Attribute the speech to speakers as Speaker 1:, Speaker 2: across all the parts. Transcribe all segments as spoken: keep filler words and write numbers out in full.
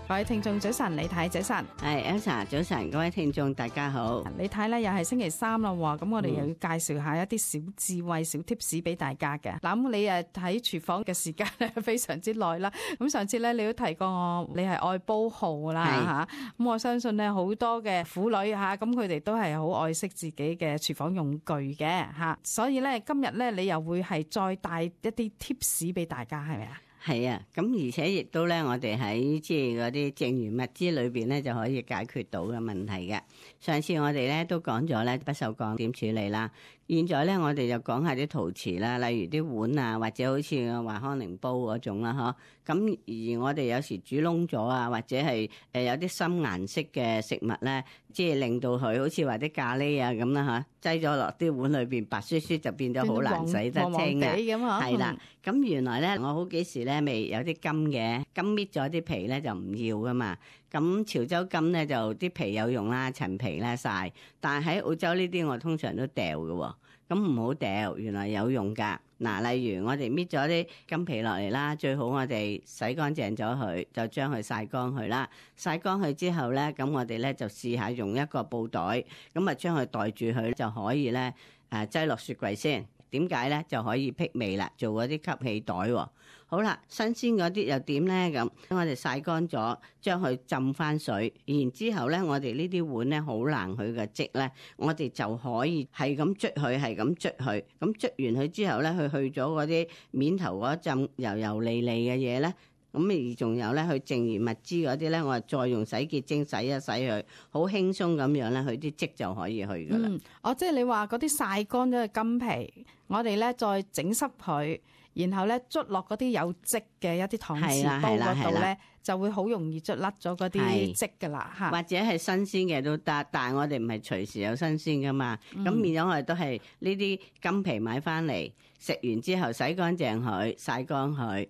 Speaker 1: 各位聽眾早晨，李太早晨，
Speaker 2: 係 Elsa 早晨，各位聽眾大家好。
Speaker 1: 李太咧又係星期三啦，咁我哋又要介紹下一啲小智慧、小 tips 俾大家嘅。嗱，咁你誒喺廚房嘅時間咧非常之耐啦。咁上次咧你都提過我，你係愛煲號啦吓。咁我相信咧好多嘅婦女吓，咁佢哋都係好愛惜自己嘅廚房用具嘅吓。所以咧今日咧你又會係再帶一啲 tips 俾大家，係咪啊？
Speaker 2: 係啊，咁而且亦都咧，我哋喺即係嗰啲剩餘物資裏邊咧，就可以解決到嘅問題嘅。上次我哋咧都講咗咧不鏽鋼點處理啦，現在咧我哋就講下啲陶瓷啦，例如啲碗啊，或者好似華康寧煲嗰種啦，嗬。咁而我哋有時煮燶咗啊，或者係誒有啲深顏色嘅食物咧，即係令到佢好似話啲咖喱啊咁啦嚇，擠咗落啲碗裏邊白雪雪就變咗好難洗得清啊。係啦，咁原來咧我好幾時咧未有啲金嘅，金搣咗啲皮咧就唔要噶嘛。咁潮州金咧就啲皮有用啦，陳皮咧曬，但係喺澳洲呢啲我通常都掉嘅喎，咁唔好掉，原來有用㗎。嗱，例如我哋搣咗啲金皮落嚟啦，最好我哋洗乾淨咗佢，就將佢曬乾佢啦。曬乾佢之後咧，咁我哋咧就試下用一個布袋，咁啊將佢袋住佢就可以咧，誒擠落雪櫃先。點解咧？就可以辟味啦，做嗰啲吸氣袋喎。好啦，新鮮嗰啲又點咧？咁我哋曬乾咗，將佢浸翻水，然之後咧，我哋呢啲碗咧好難佢嘅漬咧，我哋就可以係咁捽佢，係咁捽佢。咁捽完佢之後咧，佢去咗嗰啲面頭嗰陣油油膩膩嘅嘢咧。咁而仲有咧，佢剩餘物資嗰啲咧，我再用洗潔精洗一洗佢，好輕鬆咁樣咧，佢啲漬就可以去噶啦。嗯，
Speaker 1: 哦，即係你話嗰啲曬乾咗嘅金皮，我哋咧再整濕佢，然後咧捽落嗰啲有漬嘅一啲搪瓷煲嗰度咧，就會好容易捽甩咗嗰啲漬噶啦嚇。
Speaker 2: 或者係新鮮嘅都得，但係我哋唔係隨時有新鮮噶嘛。咁、嗯、變咗我哋都係呢啲金皮買翻嚟，食完之後洗乾淨佢，曬乾佢。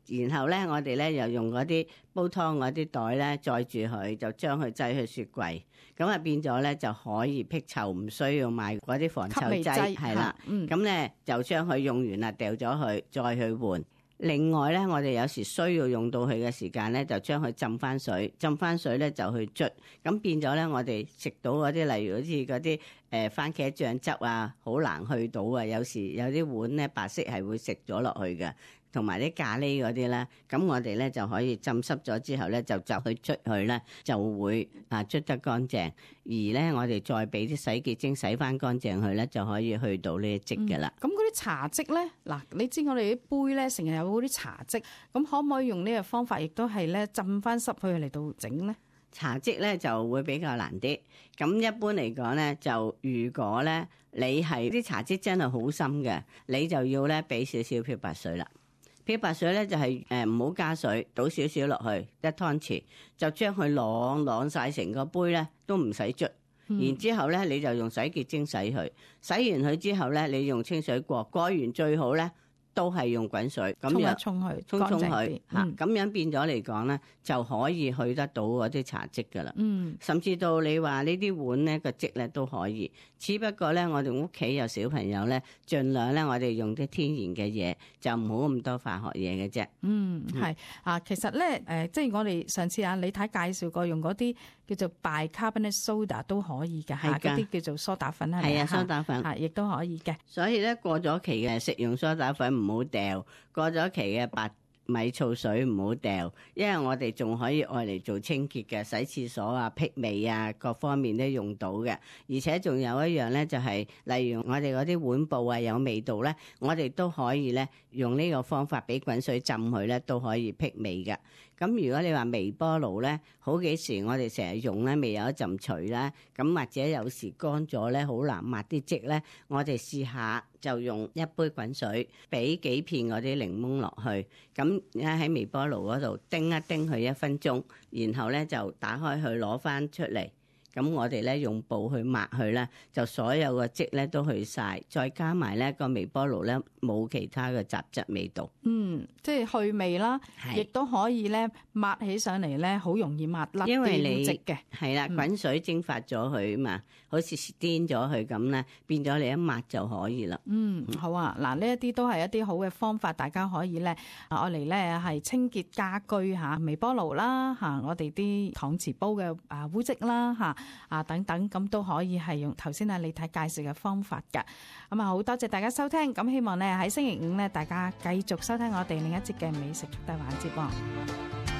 Speaker 2: 然後咧，我哋咧又用嗰啲煲湯嗰啲袋咧載住佢，就將佢擠去雪櫃，咁啊變咗咧就可以辟臭，唔需要買嗰啲防臭劑，係啦。咁咧、嗯、就將佢用完啦，掉咗佢，再去換。另外咧，我哋有時需要用到佢嘅時間咧，就將佢浸翻水，浸翻水咧就去捽，咁變咗咧，我哋食到嗰啲，例如好似嗰啲誒番茄醬汁啊，好難去到啊。有時有啲碗咧白色係會食咗落去嘅。同埋啲咖喱嗰啲咧，咁我哋咧就可以浸濕咗之後咧，就就去捽佢咧，就會啊捽得乾淨。而咧，我哋再俾啲洗潔精洗翻乾淨佢咧，就可以去到呢啲漬嘅啦。
Speaker 1: 咁嗰啲茶漬咧，嗱，你知我哋啲杯咧成日有嗰啲茶漬，咁可唔可以用呢個方法，亦都係咧浸翻濕佢嚟到整咧？
Speaker 2: 茶漬咧就會比較難啲。咁一般嚟講咧，就如果咧你係啲茶漬真係好深嘅，你就要咧俾少少漂白水啦。漂白水咧就係誒唔好加水，倒少少落去一湯匙，就將佢晾晾晒成個杯咧，都唔使捽。嗯、然之後咧你就用洗潔精洗佢，洗完佢之後咧你用清水過，過完最好咧都係用滾水咁樣
Speaker 1: 沖一沖佢，
Speaker 2: 沖沖佢吓，咁樣變咗嚟講咧就可以去得到嗰啲茶漬噶啦。嗯，甚至到你話呢啲碗咧個漬咧都可以，只不過咧我哋屋企有小朋友咧，盡量咧我哋用啲天然嘅嘢，就唔好咁多化學嘢嘅啫。
Speaker 1: 嗯，係啊，其實咧誒、呃，即係我哋上次啊李太介紹過用嗰啲叫做 bicarbonate soda 都可以嘅吓，嗰啲叫做梳打粉係咪？係啊，
Speaker 2: 梳打粉
Speaker 1: 吓亦都可以嘅。所
Speaker 2: 以咧過咗期嘅食用梳打粉唔好掉，過咗期嘅白米醋水唔好掉，因為我哋仲可以愛嚟做清潔嘅，洗廁所啊、辟味啊，各方面都用到嘅。而且仲有一樣咧，就係例如我哋嗰啲碗布啊有味道咧，我哋都可以咧用呢個方法俾滾水浸佢咧，都可以辟味嘅。咁如果你話微波爐咧，好幾時我哋成日用咧，未有一陣除啦，咁或者有時乾咗咧，好難抹啲漬咧，我哋試下就用一杯滾水，俾幾片嗰啲檸檬落去，咁喺微波爐嗰度叮一叮佢一分鐘，然後咧就打開佢攞翻出嚟。咁我哋咧用布去抹佢咧，就所有嘅漬咧都去晒，再加埋咧個微波爐咧冇其他嘅雜質味道。
Speaker 1: 嗯，即係去味啦，亦都可以咧抹起上嚟咧，好容易抹甩啲
Speaker 2: 因為你
Speaker 1: 漬嘅。
Speaker 2: 係啦，滾水蒸發咗佢嘛，好似顛咗佢咁咧，變咗你一抹就可以啦。
Speaker 1: 嗯，好啊，嗱，呢一啲都係一啲好嘅方法，大家可以咧啊，愛嚟咧係清潔家居嚇，微波爐啦嚇，我哋啲搪瓷煲嘅啊污漬啦嚇啊等等，咁都可以係用頭先啊李太介紹嘅方法㗎。咁啊，好多謝大家收聽，咁希望咧喺星期五咧大家繼續收聽我哋另一節嘅美食速遞環節喎。